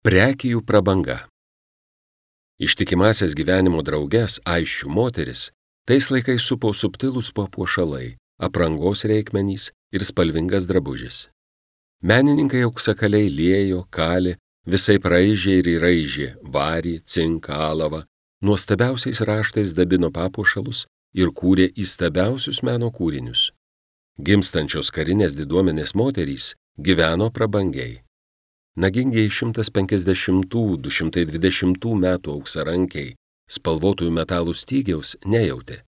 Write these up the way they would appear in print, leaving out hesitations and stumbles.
Prekijų prabanga. Ištikimasias gyvenimo drauges aisčių moteris tais laikais supo subtilūs papuošalai, aprangos reikmenys ir spalvingas drabužis. Menininkai auksakaliai liejo, kalė, visai raižė ir įraižė varį, cinką, alavą, nuostabiausiais raštais dabino papuošalus ir kūrė įstabiausius meno kūrinius. Gimstančios karinės diduomenės moterys gyveno prabangiai. Nagingiai 150–220 metų auksarankiai spalvotųjų metalų stygiaus nejautė.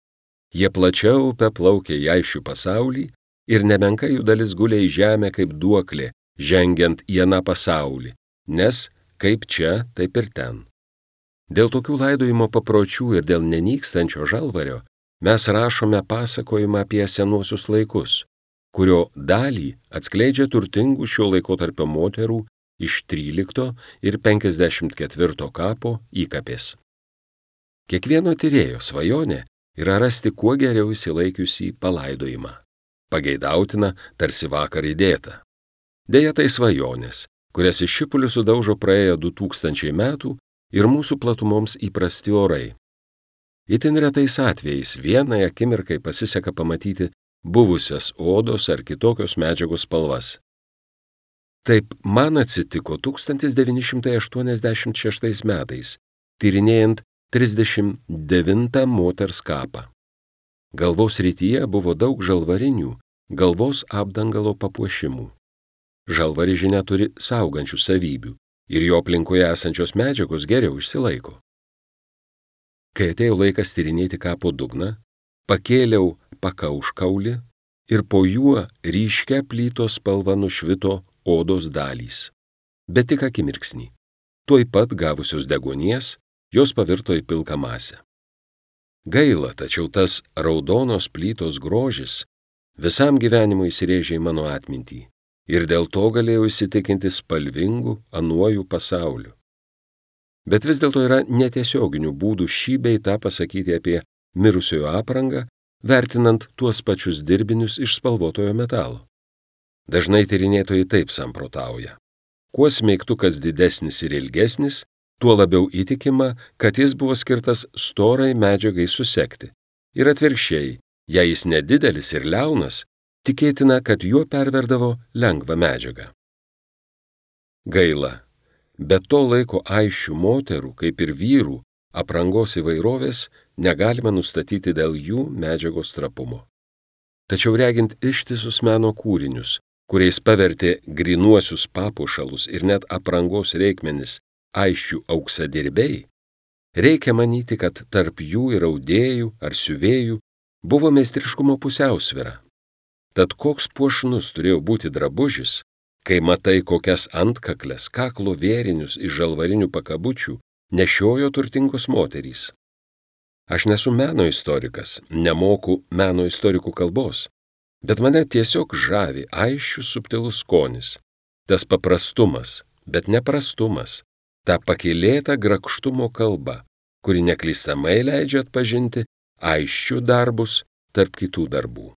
Jie plačia upe plaukė į aisčių pasaulį ir nemenka jų dalis gulė į žemę kaip duoklė, žengiant į aną pasaulį, nes kaip čia, taip ir ten. Dėl tokių laidojimo papročių ir dėl nenykstančio žalvario mes rašome pasakojimą apie senuosius laikus, kurio dalį atskleidžia turtingų šio laikotarpio moterų iš 13 ir 54 kapo įkapės. Kiekvieno tyrėjo svajonė yra rasti kuo geriau įsilaikiusį palaidojimą. Pageidautina tarsi vakar įdėta. Deja, tai svajonės, kurias iš šipulių sudaužo praėjo 2000 metų ir mūsų platumoms įprasti orai. Itin retais atvejais vienai akimirkai pasiseka pamatyti buvusias odos ar kitokios medžiagos spalvas. Taip man atsitiko 1986 metais, tyrinėjant 39 moters kapą. Galvos rytyje buvo daug žalvarinių, galvos apdangalo papuošimų. Žalvari, žinia, turi saugančių savybių ir jo aplinkoje esančios medžiagos geriau išsilaiko. Kai atėjo laikas tyrinėti kapo dugną, pakėliau pakauškaulį ir po juo ryškia plytos spalva nušvito odos dalys. Bet tik akimirksnį. Tuoj pat gavusios deguonies, jos pavirto į pilką masę. Gaila, tačiau tas raudonos plytos grožis visam gyvenimui įsirėžė į mano atmintį ir dėl to galėjau įsitikinti spalvingu anuoju pasauliu. Bet vis dėlto yra netiesioginių būdų šį bei tą pasakyti apie mirusiojo aprangą, vertinant tuos pačius dirbinius iš spalvotojo metalo. Dažnai tyrinėtojai taip samprotauja. Kuo smeigtukas didesnis ir ilgesnis, tuo labiau įtikima, kad jis buvo skirtas storai medžiagai susekti. Ir atvirkščiai, jei jis nedidelis ir liaunas, tikėtina, kad juo perverdavo lengvą medžiagą. Gaila, bet to laiko aisčių moterų, kaip ir vyrų, aprangos įvairovės negalima nustatyti dėl jų medžiagos trapumo. Tačiau regint ištisus meno kūrinius, kuriais pavertė grynuosius papuošalus ir net aprangos reikmenis aisčių auksadirbiai, reikia manyti, kad tarp jų ir audėjų ar siuvėjų buvo meistriškumo pusiausvyra. Tad koks puošnus turėjo būti drabužis, kai matai, kokias antkaklės, kaklo vėrinius iš žalvarinių pakabučių nešiojo turtingos moterys. Aš nesu meno istorikas, nemoku meno istorikų kalbos, bet mane tiesiog žavi aisčių subtilus skonis, tas paprastumas, bet neprastumas, ta pakylėta grakštumo kalba, kuri neklystamai leidžia atpažinti aisčių darbus tarp kitų darbų.